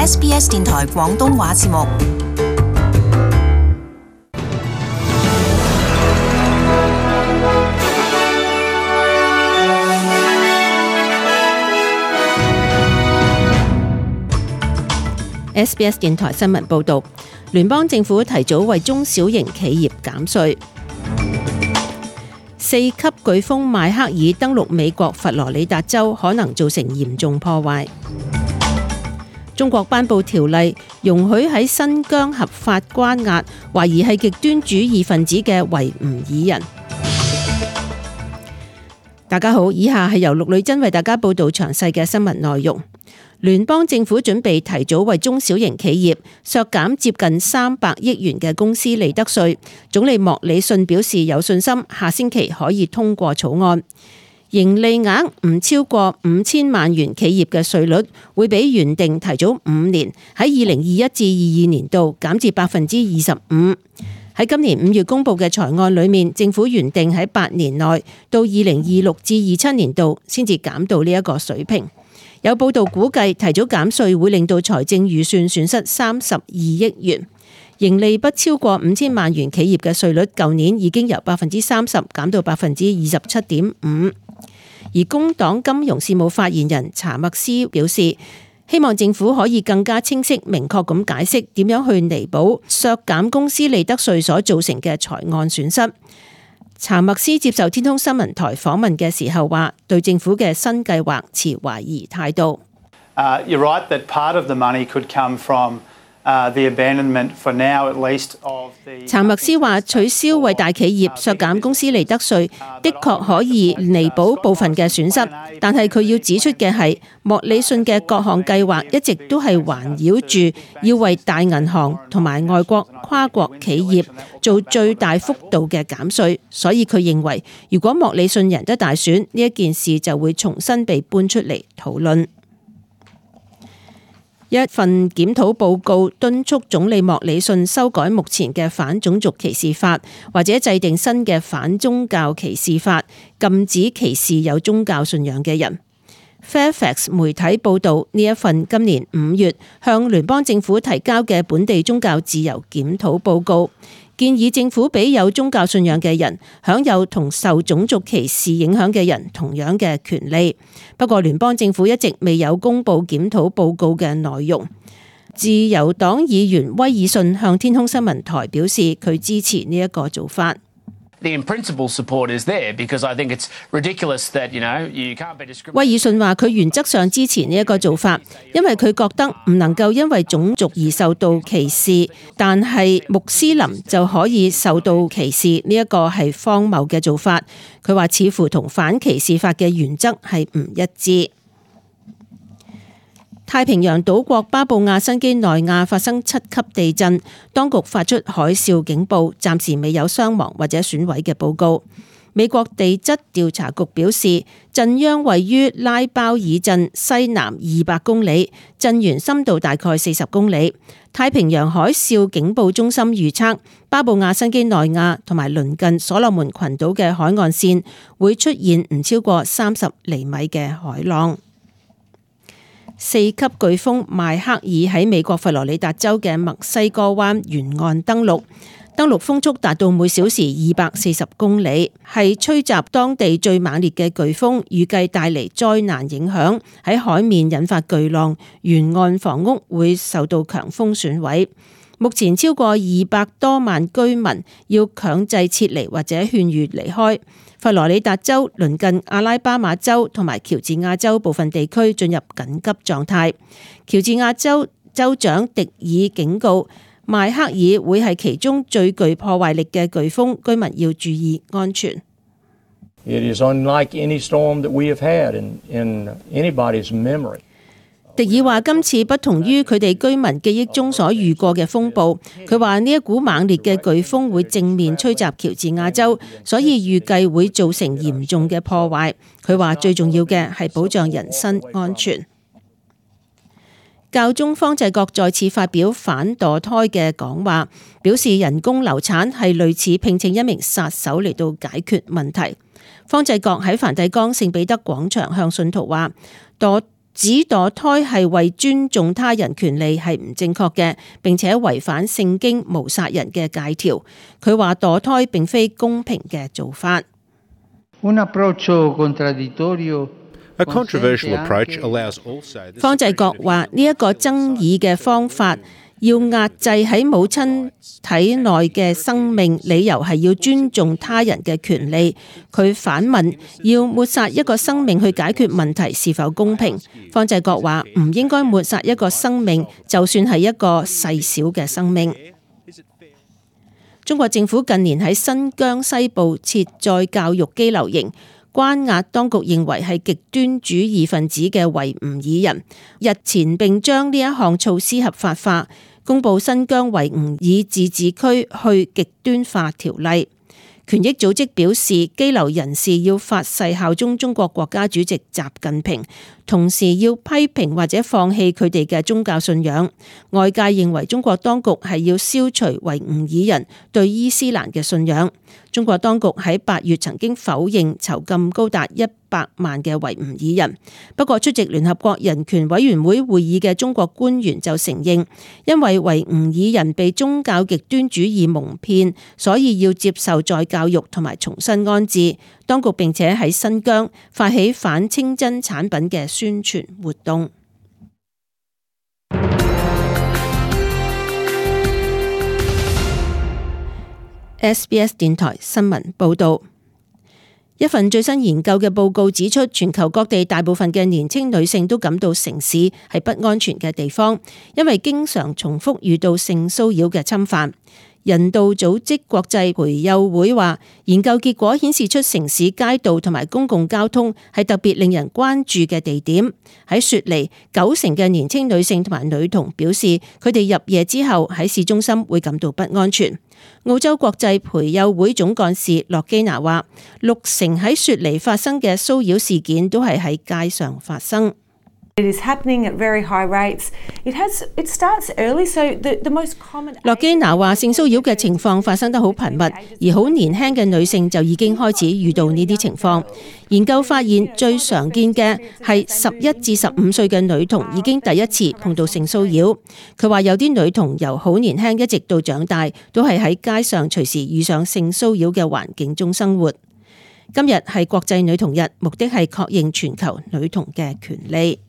SBS 電台廣東話節目。SBS 電台新聞報導，聯邦政府提早為中小型企業減稅。4級颶風邁克爾登陸美國佛羅里達州，可能造成嚴重破壞。中國頒布條例，容許喺新疆合法關押懷疑係極端主義分子嘅維吾爾人。大家好，以下係由陸女真為大家報導詳細嘅新聞內容。聯邦政府準備提早為中小型企業削減接近300億元嘅公司利得稅。總理莫里遜表示有信心下星期可以通過草案。盈利額唔超過5000萬元企業嘅稅率會比原定提早5年，喺2021至22年度減至25%。喺今年5月公布嘅財案裏面，政府原定喺8年內到2026至27年度先至減到呢一個水平。有報道估計提早減稅會令到財政預算損失32億元。盈利不超過5000萬元企業嘅稅率，舊年已經由30%減到27.5%。而工黨金融事務發言人查默斯表示，希望政府可以更加清晰明確咁解釋點樣去彌補削減公司利得稅所造成嘅財案損失。查默斯接受天空新聞台訪問嘅時候話，對政府嘅新計劃持懷疑態度。You're right that part of the money could come from the abandonment for now at least of the。查默斯話，取消為大企業削減公司利得稅，的確可以彌補部分嘅損失，但係佢要指出嘅係，莫里遜嘅各項計劃一直都係環繞住要為大銀行同埋外國跨國企業做最大幅度嘅減稅，所以佢認為，如果莫里遜贏得大選，呢一件事就會重新被搬出嚟討論。一份檢討報告敦促總理莫里遜修改目前嘅反種族歧視法，或者制定新嘅反宗教歧視法，禁止歧視有宗教信仰嘅人。Fairfax 媒體報導，呢一份今年5月向聯邦政府提交嘅本地宗教自由檢討報告，建議政府俾有宗教信仰嘅人享有同受種族歧視影響嘅人同樣嘅權利。不過聯邦政府一直未有公布檢討報告嘅內容。自由黨議員威爾遜向天空新聞台表示，佢支持呢一個做法。The in-principle support is there because I think it's ridiculous that, you can't be discriminated. 威爾遜話佢原則上支持呢一個做法，因為佢覺得唔能夠因為種族而受到歧視，但係穆斯林就可以受到歧視，呢一個係荒謬嘅做法。佢話似乎同反歧視法嘅原則係唔一致。太平洋島國巴布亞新畿內亞發生7級地震，當局發出海嘯警報，暫時未有傷亡或者損毀嘅報告。美國地質調查局表示，震央位於拉包爾鎮西南200公里，震源深度大概40公里。太平洋海嘯警報中心預測，巴布亞新畿內亞同埋鄰近所羅門群島嘅海岸線會出現唔超過30厘米嘅海浪。4級颶風邁克爾喺美國佛羅里達州嘅墨西哥灣沿岸登陸風速達到每小時240公里，係吹襲當地最猛烈嘅颶風，預計帶嚟災難影響，喺海面引發巨浪，沿岸房屋會受到強風損毀。目前超過200多萬居民要強制撤離或者勸喻離開。佛羅里達州、鄰近阿拉巴馬州同埋喬治亞州部分地區進入緊急狀態。喬治亞州州長迪爾警告，邁克爾會係其中最具破壞力嘅颶風，居民要注意安全。It is unlike any storm that we have had in anybody's memory. 迪爾話：今次不同於佢哋居民記憶中所遇過嘅風暴。佢話呢一股猛烈嘅颶風會正面吹襲喬治亞州，所以預計會造成嚴重嘅破壞。佢話最重要嘅係保障人身安全。教宗方濟各再次發表反墮胎嘅講話，表示人工流產係類似聘請一名殺手嚟到解決問題。方濟各喺梵蒂岡聖彼得廣場向信徒話：墮指墮胎係為尊重他人權利係唔正確嘅，並且違反聖經無殺人嘅誡條。佢話墮胎並非公平嘅做法。方濟各話呢一個爭議嘅方法要壓制喺母親體內嘅生命，理由係要尊重他人嘅權利。佢反問，要抹殺一個生命去解決問題是否公平？方濟各話唔應該抹殺一個生命，就算係一個細小嘅生命。中國政府近年喺新疆西部設再教育羈留營，關押當局認為係極端主義分子嘅維吾爾人。日前並將呢一項措施合法化，公布新疆維吾爾自治區去極端化條例。權益組織表示，羈留人士要發誓效忠中國國家主席習近平，同時要批評或者放棄佢哋嘅宗教信仰。外界認為中國當局係要消除維吾爾人對伊斯蘭嘅信仰。中國當局喺8月曾經否認囚禁高達100萬嘅維吾爾人，不過出席聯合國人權委員會會議嘅中國官員就承認，因為維吾爾人被宗教極端主義蒙騙，所以要接受再教育同埋重新安置。當局並且喺新疆發起反清真產品嘅宣傳活動。SBS 電台新聞報道，一份最新研究嘅報告指出，全球各地大部分嘅年輕女性都感到城市係不安全嘅地方，因為經常重複遇到性騷擾嘅侵犯。人道組織國際培幼會話，研究結果顯示出城市街道同埋公共交通係特別令人關注嘅地點。喺雪梨，90%嘅年輕女性同埋女童表示，佢哋入夜之後喺市中心會感到不安全。澳洲國際培幼會總幹事洛基娜話，60%喺雪梨發生嘅騷擾事件都係喺街上發生。It is happening at very high rates. It starts early, so the most common. 洛基娜話，性騷擾嘅情況發生得好頻密，而好年輕嘅女性就已經開始遇到呢啲情況。研究發現，最常見嘅係11至15歲嘅女童已經第一次碰到性騷擾。佢話有啲女童由好年輕一直到長大，都係喺街上隨時遇上性騷擾嘅環境中生活。今日係國際女童日，目的係確認全球女童嘅權利。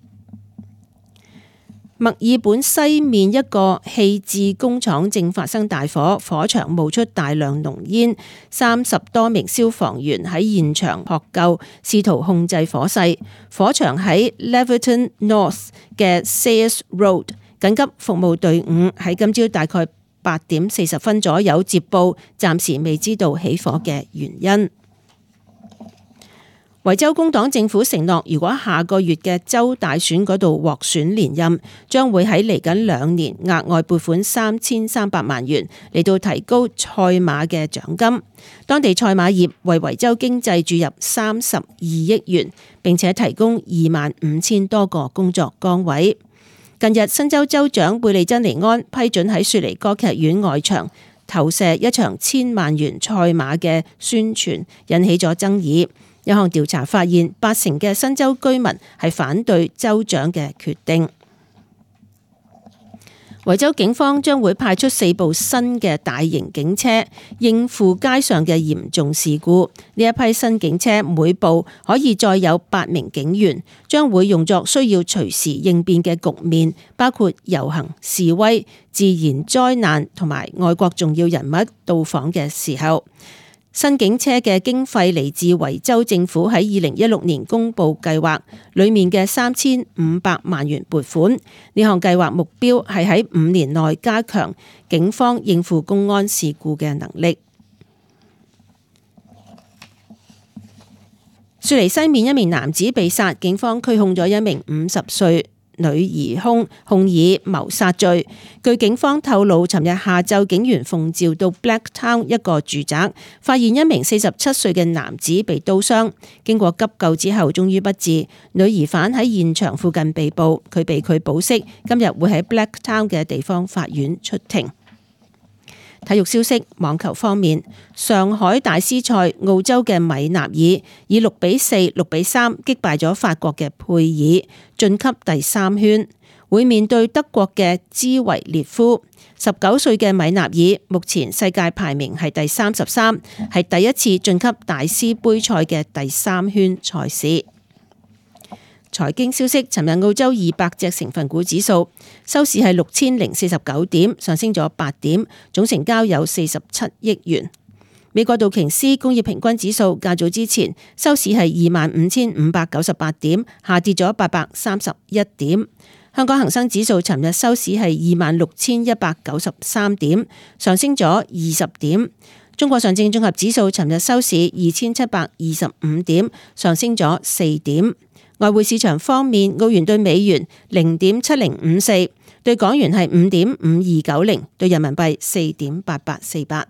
墨爾本西面一個棄置工廠正發生大火，火場冒出大量濃煙，30多名消防員喺現場撲救，試圖控制火勢。火場喺 Leverton North 嘅 Sayers Road， 緊急服務隊伍喺今朝大概8點40分左右接報，暫時未知道起火嘅原因。維州工黨政府承諾，如果下個月嘅州大選嗰度獲選連任，將會喺嚟緊2年額外撥款3300萬元嚟到提高賽馬嘅獎金。當地賽馬業為維州經濟注入32億元，並且提供25000多個工作崗位。近日，新州州長貝利珍尼安批准喺雪梨歌劇院外牆投射一場1000萬元賽馬嘅宣傳，引起咗爭議。一項調查發現，80%嘅新州居民係反對州長嘅決定。維州警方將會派出4部新嘅大型警車，應付街上嘅嚴重事故。呢一批新警車每部可以載有8名警員，將會用作需要隨時應變嘅局面，包括遊行、示威、自然災難同埋外國重要人物到訪嘅時候。新警車嘅經費嚟自維州政府喺2016年公布計劃裏面嘅3500萬元撥款。呢項計劃目標係喺5年內加強警方應付公安事故嘅能力。雪梨西面一名男子被殺，警方拘控咗一名50歲女疑兇，控以謀殺罪。據警方透露，尋日下晝警員奉召到 Blacktown 一個住宅，發現一名47歲嘅男子被刀傷，經過急救之後終於不治。女疑犯喺現場附近被捕，佢被拒保釋，今日會喺 Blacktown 嘅地方法院出庭。體育消息，網球方面，上海大師賽澳洲嘅米納爾以6-4、6-3擊敗咗法國嘅佩爾，晉級第3圈，會面對德國嘅茲維列夫。19歲嘅米納爾目前世界排名係第33，係第一次晉級大師杯賽嘅第3圈賽事。財經消息，尋日澳洲200隻成分股指數收市係6049點，上升咗8點，總成交有47億元。美國道瓊斯工業平均指數較早之前收市係25,598點，下跌咗831點。香港恒生指數尋日收市係26,193點，上升咗20點。中國上證綜合指數尋日收市2,725點，上升咗4點。外匯市場方面，澳元對美元0.7054，對港元係5.5290，對人民幣4.8848。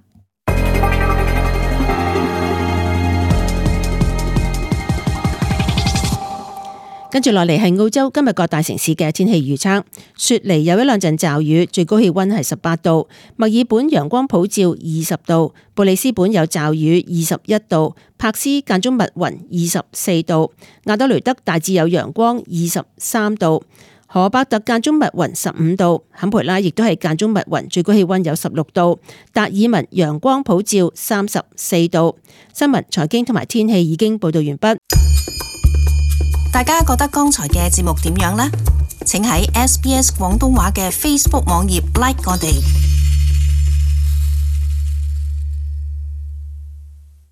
跟住落嚟係澳洲今日各大城市嘅天氣預測。雪梨有一兩陣驟雨，最高氣溫係18度；墨爾本陽光普照20度；布里斯本有驟雨21度；柏斯間中密雲24度；亞德雷德大致有陽光23度；荷伯特間中密雲15度；坎培拉亦都係間中密雲，最高氣溫有16度；達爾文陽光普照34度。新聞、財經同埋天氣已經報道完畢。大家覺得剛才嘅節目點樣呢？請喺SBS 廣東話嘅 Facebook 網頁 like 我哋。